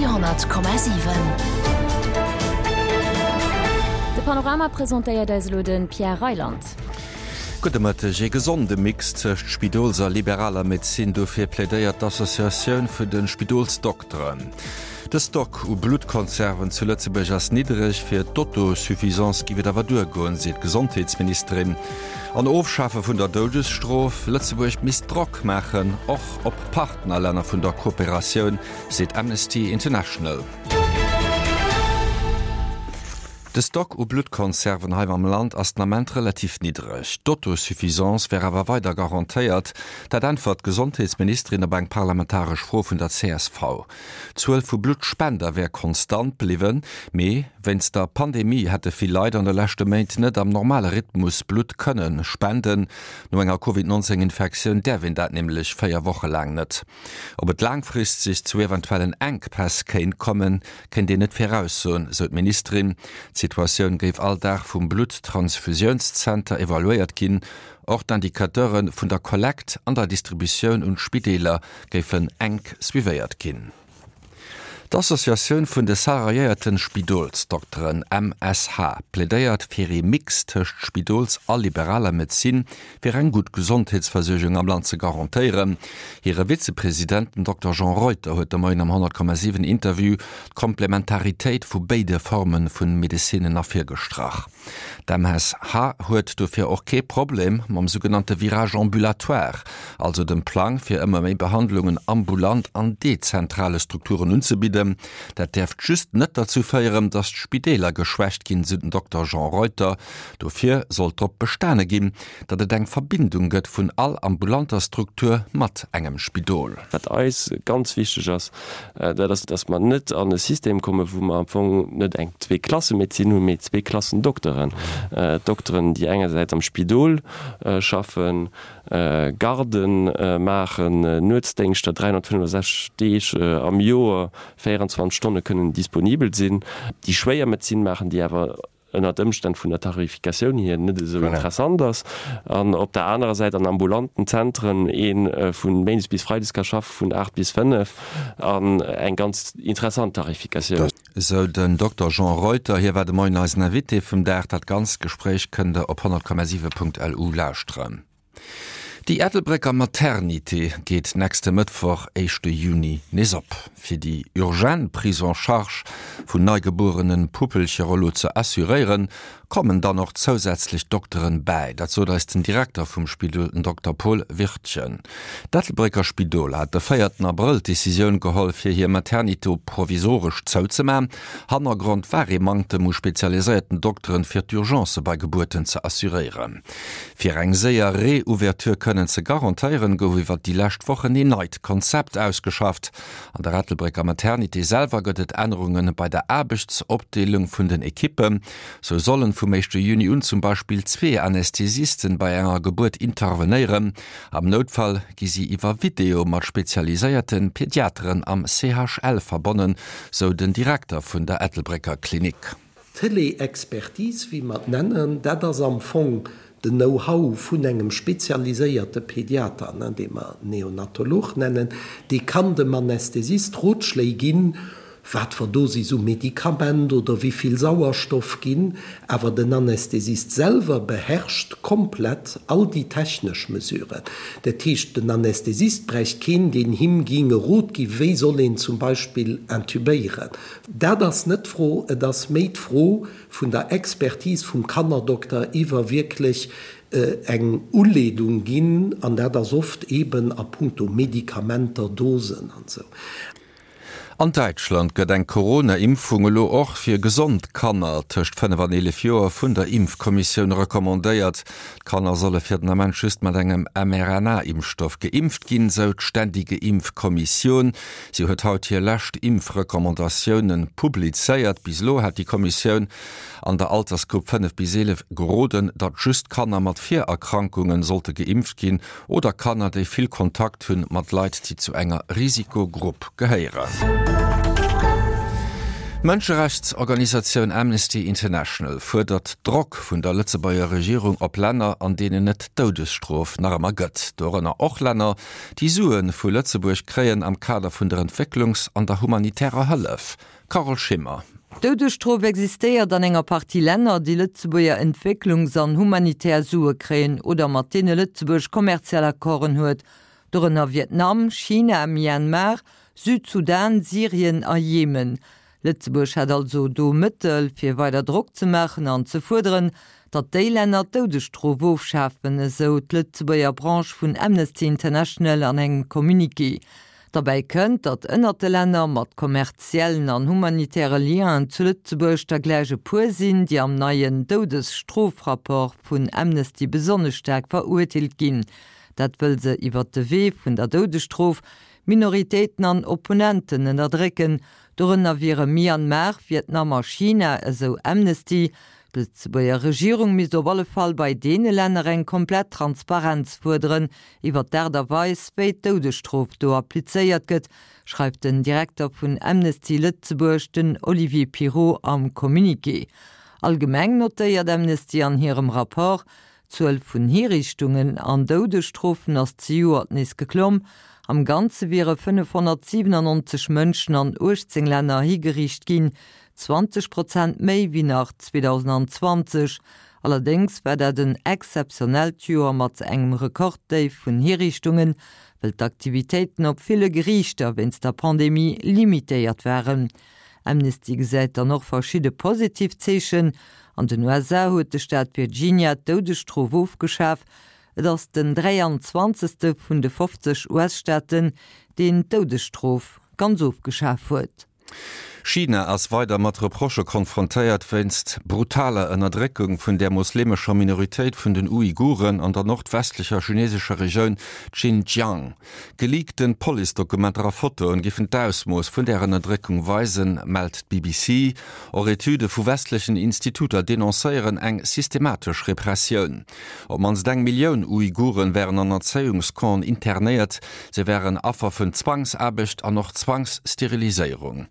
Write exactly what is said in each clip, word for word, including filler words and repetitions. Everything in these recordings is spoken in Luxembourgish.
Radio honnert Komma siwen. De Panorama presentéiert eis elo de Pierre Reyland. Gudde Mëtteg. Ee gesonde Mix tëscht Spidols a liberaler Medezin, dofir plädéiert d'Associatioun vun de Spidolsdokteren. De Stock u Bluttkonserven zu Lëtzebuerg ass niddereg, fir d'Autosuffisance giff et awer duergoen, seet d'Gesondheetsministerin. An Ofschafe vun der Doudesstrof, Lëtzebuerg misst Drock maachen, och op Partnerlänner vun der Kooperatioun, seet Amnesty International. De Stock u Bluttkonserven hei am Land ass den Ament relativ niddereg. D'Autosuffisance wär awer weider garantéiert. Dat äntwert d'Gesondheetsministerin op eng parlamentaresch Fro vun der C S V. D'Zuel vu Bluttspender wär konstant bliwwen, mee wéinst der Pandemie hätte vill Leit an de leschte Méint net am normale Rhythmus Blutt kënne spenden. No enger Covid nonzéng Infektioun däerf een dat nämlech véier Woche laang net. Ob et laangfristeg zu eventuellen Enkpäss kéint kommen, kéint een net viraussoen, sou d'Ministerin. D'Situatioun géif all Dag vum Blutt-Transfusiounszenter evaluéiert ginn. Och d'Indicateure vun der Kollekt an der Distributioun un d'Spideeler géifen enk suivéiert ginn. D'Associatioun vun de salariéierte Spidolsdokteren, M S H, plädéiert fir ee Mix tëscht Spidols a liberaler Medezin, fir eng gutt Gesondheetsversuergung am Land ze garantéieren. Hire Vizepresident, den Dokter Jean Reuter, huet de Moien am honnert Komma siwen Interview d'Komplementaritéit vu béide Forme vu Medezinnen ervirgestrach. D'M S H huet dofir och kee Problem mam sougenannte Virage ambulatoire, also dem Plang, fir ëmmer méi Behandlungen ambulant an dezentrale Strukturen unzebidden. Dat däerft just net derzou féieren, datt d'Spideeler geschwächt ginn, sou den Dokter Jean Reuter. Dofir sollt drop bestane ginn, datt et eng Verbindung gëtt vun all ambulanter Struktur mat engem Spidol. Wat eis ganz wichteg ass, dat ass, datt mer net an e System kommen, wou mer am Fong net eng Zweeklassemedezin hunn, mee zwee Klassen Dokteren. Dokteren, déi engersäits am Spidol schaffen, Garden maachen, Nuetsdéngschter, dräihonnertfënnefosechzeg Deeg am Joer, véierenzwanzeg Stonne kënnen disponibel sinn, déi schwéier Medezin maachen, déi awer ënnert Ëmstänn vun der Tarifikatioun hier net esou interessant ass, an op der anerer Säit an ambulanten Zentren ee vu méindes bis freides ka schaffe vun aacht bis fënnef an eng ganz interessant Tarifikatioun. Esou den Dokter Jean Reuter. Hie war de Moien eisen Invité vum Dag. Dat ganzt Gespréich kënnt der op honnert Komma siwe Punkt L U lauschteren. Déi Ettelbrécker Maternité geet nächste Mëttwoch, éischte Juni, nees op. Fir déi urgent Prise en charge vun neigebuerene Puppelcher elo ze assuréieren, kommen dann och zousätzlech Dokteren bäi. Dat sot eis den Direkter vum Spidol, den Dokter Paul Wirtgen. D'Ettelbrécker Spidol hat de véierten Abrëll d'Decisioun geholl, fir hir Maternité provisoresch zouzemaachen. Hannergrond war ee Manktem u spezialiséierten Dokteren, fir d'Urgencë bei Gebuerten ze assuréieren. Fir eng séier Reouverture kënnen ze garantéieren, gouf iwwer déi lescht Wochen een neit Konzept ausgeschafft. An der Ettelbrécker Maternité selwer gëtt et Ännerunge bei der Aarbechtsopdeelung vun den Ekippen. Sou sollen vum éischte Juni un zum Beispill zwee Anästhesisten bei enger Gebuert intervenéieren. Am Noutfall gi si iwwer Video mat spezialiséierte Pediateren am C H L verbonnen, sou den Direkter vun der Ettelbrécker Klinik. D'Télé-Expertise, wéi mer et nennen, dat ass am Fong den Know-how vun engem spezialiséierte Pediater, dee mer Neonatolog nennen, dee kann dem Anästhesist Rotschléi ginn, wat fir Dosis u Medikament oder wéi vill Sauerstoff ginn, awer den Anästhesist selwer beherrscht komplett all déi technesch Mesuren. Dat heescht, den Anästhesist bräicht keen, deen him géing e Rot ginn, wéi soll een zum Beispill intubéieren. Dat ass net d'Fro, et ass méi d'Fro vun der Expertise vum Kannerdokter iwwer wierklech eng Uleedung ginn, an dat ass oft eeben a puncto Medikamenter, Dosen an esou. An Däitschland gëtt eng Corona-Impfung elo och fir gesond Kanner tëscht fënnef an eelef Joer vun der Impfkommissioun recommandéiert. D'Kanner solle fir den Ament just mat engem M R N A-Impfstoff geimpft ginn, sou d'Ständige Impfkommission. Si huet haut hir lescht Impfrecommandatioune publizéiert. Bis elo hat déi Kommissioun an der Altersgrupp fënnef bis eelef geroden, datt just Kanner mat Virerkrankunge sollte geimpft ginn oder Kanner, déi vill Kontakt hunn mat Leit, déi zu enger Risikogrupp gehéieren. D'Mënscherechtsorganisatioun Amnesty International fuerdert Drock vun der Lëtzebuerger Regierung op Länner, an deenen et d'Doudesstrof nach ëmmer gëtt. Dorënner och Länner, déi Sue vu Lëtzebuerg kréien am Kader vun der Entwécklungs an der humanitärer Hëllef. Carole Schimmer. D'Doudesstrof existéiert an enger Partie Länner, déi Lëtzebuerger Entwécklungs an humanitär Sue kréien oder mat deene Lëtzebuerg kommerziell Accorden huet, dorënner Vietnam, China, Myanmar, Südsudan, Syrien a Jemen. Lëtzebuerg hätt also do Mëttel, fir weider Drock ze maachen an ze fuerderen, datt déi Länner d'Doudesstrof ofschafen, esou d'Lëtzebuerger Branche vun Amnesty International an engem Communiqué. Derbäi kënnt, datt ënnert de Länner mat kommerziellen an humanitäre Lienen zu Lëtzebuerg der gläich e puer sinn, déi am neien Doudesstrofrapport vun Amnesty besonnesch staark verurteelt ginn. Dat wëll se iwwert de Wee vun der Doudesstrof Minoritéiten an Opponenten ënnerdrécken. Dorënner wiere Myanmar, Vietnam a China, esou Amnesty. D'Lëtzebuerger Regierung misst op alle Fall bei deene Länner eng komplett Transparenz fuerderen iwwer d'Aart a Weis, wéi d'Doudesstrof do applizéiert gëtt, schreift den Direkter vun Amnesty Lëtzebuerg, den Olivier Pirot, am Communiqué. Allgemeng notéiert Amnesty an hirem Rapport, D'Zuel vun Hiriichtungen an Doudesstrofen ass zejoert nees geklomm. Am Ganze wiere fënnefhonnertsiwenannonzeg Mënschen an uechtzéng Länner higeriicht ginn, zwanzeg Prozent méi wéi nach zweedausendzwanzeg. Allerdéngs war dat en exzeptionellt Joer mat engem Rekorddéif vun Hiriichtungen, well d'Aktivitéiten op ville Geriichter wéinst der Pandemie limitéiert waren. Amnesty gesäit dann och verschidde positiv Zeechen. An den U S A huet de Staat Virginia d'Doudesstrof ofgeschaf. Et ass den dräianzwanzegste vun de fofzeg U S-Staaten, deen d'Doudesstrof ganz ofgeschaf huet. China ass weider mat Reprochë konfrontéiert wéinst brutaler Ënnerdréckung vun der moslemescher Minoritéit vun den Uiguren an der nordwestlecher chinesescher Regioun Xinjiang. Geleakten Policedokumenter a Fotoen géifen d'Ausmooss vun där Ënnerdréckung weisen, mellt d'B B C. Och Etüde vu westlechen Instituter denoncéieren eng systematesch Repressioun. Op d'mannst eng Millioun Uiguren wären an Erzéiungscampen internéiert, se wären Affer vun Zwangsaarbecht an och Zwangssteriliséierung.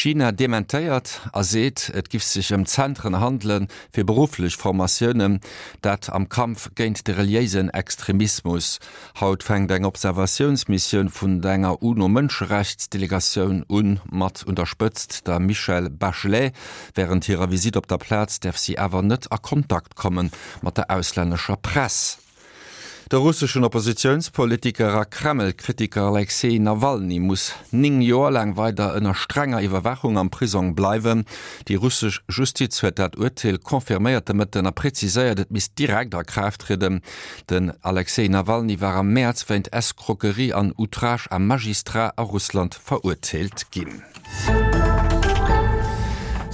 China dementéiert a seet, et giff sech ëm Zentren handele fir berufflech Formatiounen, dat am Kampf géint de reliéisen Extremismus. Haut fänkt eng Observatiounsmissioun vun enger UNO-Mënscherechtsdelegatioun un, mat un der Spëtzt der Michelle Bachelet. Wärend hirer Visitt op der Plaz däerf si awer net a Kontakt komme mat der auslännescher Press. De russeschen Oppositiounspolitiker a Kreml-Kritiker Alexej Nawalny muss néng Joer laang weider ënner strenger Iwwerwaachung am Prisong bleiwen. Déi russesch Justiz huet dat Urteel confirméiert de Mëtten a preziséiert, et misst direkt a Kraaft trieden. Den Alexej Nawalny war am Mäerz wéint Escroquerie an Outrage à magistrat a Russland verurteelt ginn.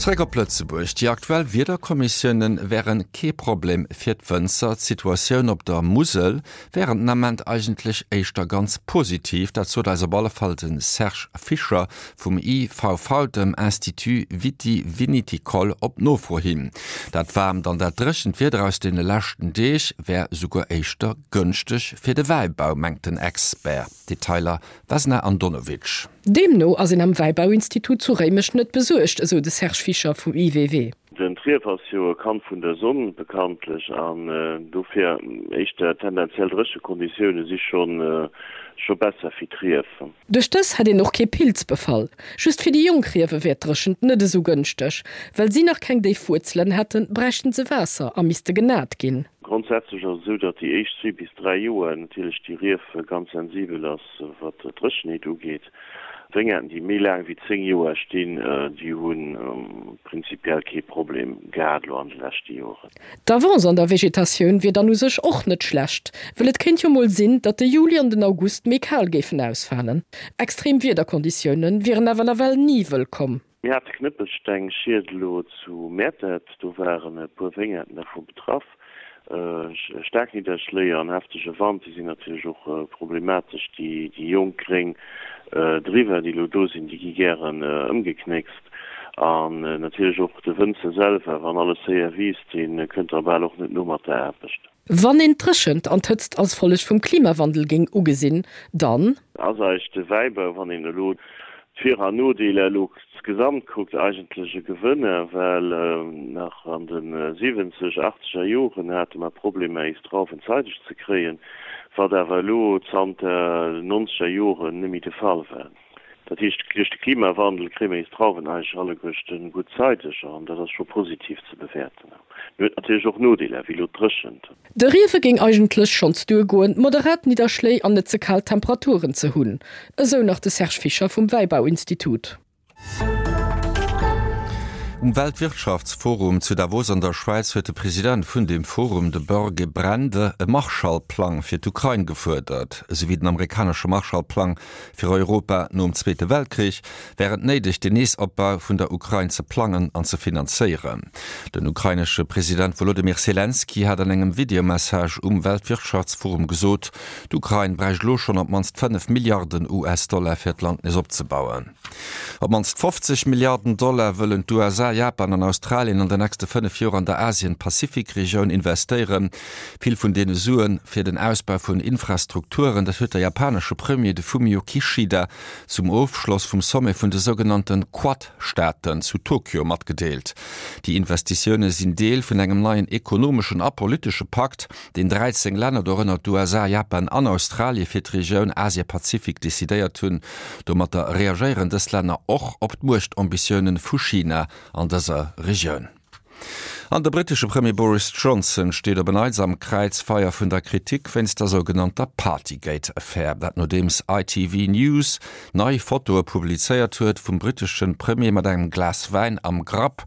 Zeréck op Lëtzebuerg, Déi aktuell Wiederkonditioune wäre kee Problem fir d'Wënzer. D'Situatioun op der Musel wär den Ament eigentlech éischter ganz positiv. Dat sot eis op alle Fall de Serge Fischer vum I V V, dem Institut Viti-Viniticole, op Nofro hin. Dat waarmt an dat dréchent Wieder aus deene leschten Deeg wär souguer éischter gënschteg fir de Wäibau, mengt den Expert. Detailer Vesna Andonovic. Deemno ass een am Wäibauinstitut zu Réimech net besuergt, esou de Serge Fischer vum I W W. Den D'Rief ass jo e Kand vun der Sonn bekanntlech an dofir éischter tendenziell dréche Konditioune si schonn scho besser fir d'Rief. Duerch dës hätt een och kee Pilzbefall. Just fir déi jonk Riewe wär d'Dréchent net esou gënschteg. Well si nach keng déif Wuerzelen hätten, bräichten se Waasser a misste genat ginn. Grondsätzlech ass et esou, datt déi éischt zwee bis dräi Joer natierlech déi Rief ganz sensibel ass, wat d'Dréchenheet ugeet. Wéngerten, déi méi laang wéi zéng Joer stinn, déi hu prinzipiell kee Problem gehat elo an de leschte Joren. D'Avance an der Vegetatioun wier dann u sech och net schlecht, well et kéint jo mol sinn, datt de Juli an den August méi kal géifen ausfalen. Extrem Wiederkonditioune wieren awer nawell ni wëllkomm. Mir hate Knëppelstengschied elo zu Mäertert, do waren e puer Wéngerten dervu betraff. Staark Nidderschléi an heftege Wand, déi sinn natierlech och problematesch. Déi jonk gréng Driwer, déi elo do sinn, déi gi gären ëmgeknéckst. An natierlech och de Wënzer selwer, wann alles séier wiisst, dee kënnt da bal och net no mat der Aarbecht. Wann een d'Dréchent an d'Hëtzt als Folleg vum Klimawandel géing ugesinn, dann. Ass eis de Wäibau, wann een elo d'Vir an Nodeeler elo insgesamt kuckt, eigentlech e Gewënner, well nach an de siwwenzeg, achtzeger Joren hate mer Problemer eis Drauwen zeideg ze kréien, wat awer elo zanter den nonzeger Joren net méi de Fall war. Dat heescht, duerch de Klimawandel kréie mer eis Drauwen eigentlech alleguerten gutt zeideg an dat ass scho positiv ze bewäerten. Mee huet natierlech och Nodeeler, wéi elo d'Dréchent. De Riewe géing eigentlech schonns duergoen, moderat Nidderschléi an net ze kal Temperaturen ze hunn, esou nach de Serge Fischer vum Wäibauinstitut. Um Weltwirtschaftsforum zu Davos an der Schwäiz huet de President vun deem Forum, de Børge Brende, e Marshallplang fir d'Ukrain gefuerdert. Esou wéi den amerikanesche Marshallplang fir Europa nom Zweete Weltkrich, wär et néideg, den Neesopbau vun der Ukrain ze plangen an ze finanzéieren. Den ukrainesche President Wolodymyr Selenskyj hat an engem Videomessage um Weltwirtschaftsforum gesot, d'Ukrain bräicht elo schonn op d'mannst fënnef Milliarden US-Dollar fir d'Land nees opzebauen. Op d'mannst fofzeg Milliarden Dollar wëllen d'USA, Japan an Australien an den nächste fënnef Joer an der Asien-Pazifik-Regioun investéieren. Vill vun deene Sue fir den Ausbau vun Infrastrukturen. Dat huet de japanesche Premier, de Fumio Kishida, zum Ofschloss vum Sommet vun de sougenannte Quad-Staaten zu Tokio matgedeelt. Déi Investitioune sinn Deel vun engem neien ekonomeschen a politesche Pakt, deen dräizéng Länner, dorënner d'USA, Japan an Australie, fir d'Regioun Asie-Pazifik decidéiert hunn. Domatter reagéieren dës Länner och op d'Muechtambitioune vu China an dëser Regioun. An de brittesche Premier Boris Johnson steet op en Neits am Kräizfeier vun der Kritik wéinst der sougenannter Partygate-Affär. Dat nodeems I T V News nei Fotoe publizéiert huet vum brittesche Premier mat engem Glas Wäin am Grapp.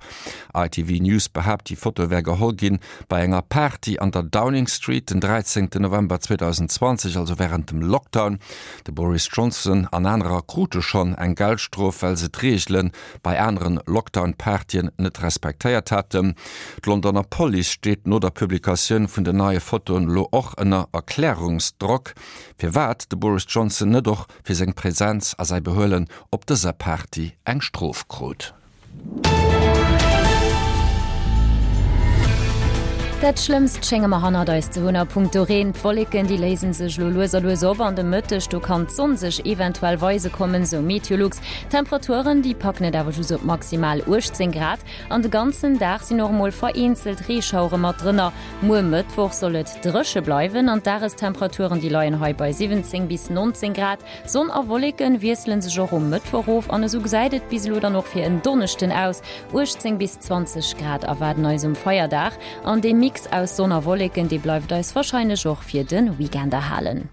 I T V News behaapt, déi Foto wär geholl ginn bei enger Party an der Downing Street den dräizéngten November zweedausendenzwanzeg, also wärend dem Lockdown. De Boris Johnson an anerer krute schonn eng Geldstrof, well se d'Reegele bei aneren Lockdown-Partyen net respektéiert haten. D'Londoner Police steet no der Publikatioun vun den neie Fotoen elo och ënner Erklärungsdrock, firwat de Boris Johnson net och fir seng Presenz a säi Behuelen op dëser Party eng Strof krut. Dat Schlëmmst schénge mer hannert eis ze hunn a punkto Reen. D'Wolleken, déi léisen sech elo lues a lues op an de Mëtteg do kann d'Sonn sech eventuell weise kommen, sou Meteolux. D'Temperaturen, déi packen et awer just op maximal uechtzéng Grad an de ganzen Dag sinn och emol vereenzelt Reeschauere mat drënner. Muer Mëttwoch soll et dréche bleiwen an d'Dagestemperaturen, déi leien hei bei siwwenzéng bis nonzéng Grad. Sonn a Wolleken wiessele sech och um Mëttwoch of an esou gesäit et bis elo dann och fir en Donneschden aus, uechtzéng bis zwanzeg Grad erwaarden eis um Feierdag an dee Mix aus Sonn a Wolleken, dee bleift eis warscheinlech och fir de Weekend erhalen.